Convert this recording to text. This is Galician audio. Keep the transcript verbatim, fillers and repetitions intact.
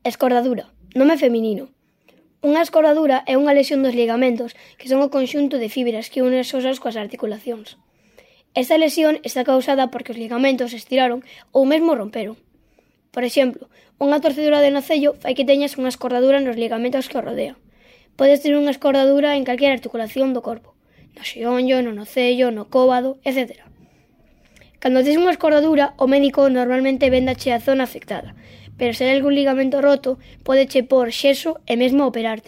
Escordadura, nome feminino. Unha escordadura é unha lesión dos ligamentos, que son o conxunto de fibras que unen os osas coas articulacións. Esta lesión está causada porque os ligamentos se estiraron ou mesmo romperon. Por exemplo, unha torcedura de nocello fai que teñas unha escordadura nos ligamentos que o rodean. Podes ter unha escordadura en calquera articulación do corpo, no xeonllo, no nocello, no cóbado, etcétera. Cando tes unha escordadura, o médico normalmente véndache a zona afectada, pero se hai algún ligamento roto, pódeche pór xeso e mesmo operarte.